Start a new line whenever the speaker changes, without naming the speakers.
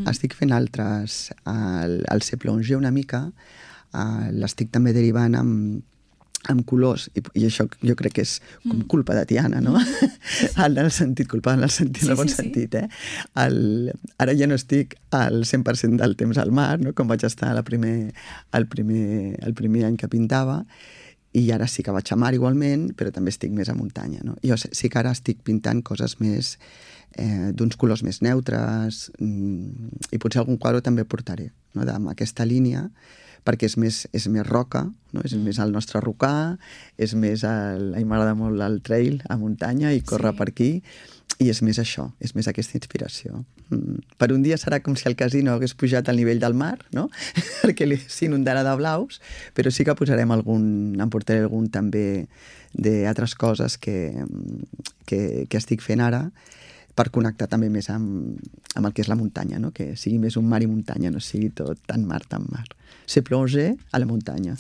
estic fent altres. El Se Plonge una mica, l'estic també derivant amb colors, i això jo crec que és com culpa de Tiana, no? En el sentit, culpa en el sentit, en el bon sentit, eh? Ara ja no estic al 100% del temps al mar, no? Com vaig estar el primer any que pintava, i ara sí que vaig a mar igualment, però també estic més a muntanya, no? Jo sí que ara estic pintant coses més d'uns colors més neutres, i potser algun quadre també portaré, no? Amb aquesta línia, perquè és més roca, no? És més el nostre rocar, és més a mi m'agrada molt el trail a muntanya i córrer per aquí, i és més això, és més aquesta inspiració. Per un dia serà com si el casino hagués pujat al nivell del mar, no? Perquè s'inundarà de blaus, però sí que posarem em portaré algun també d'altres coses que estic fent ara, per connectar també més amb el que és la muntanya, no? Que sigui més un mar i muntanya, no sigui tot tan mar. Se Plonge a la muntanya.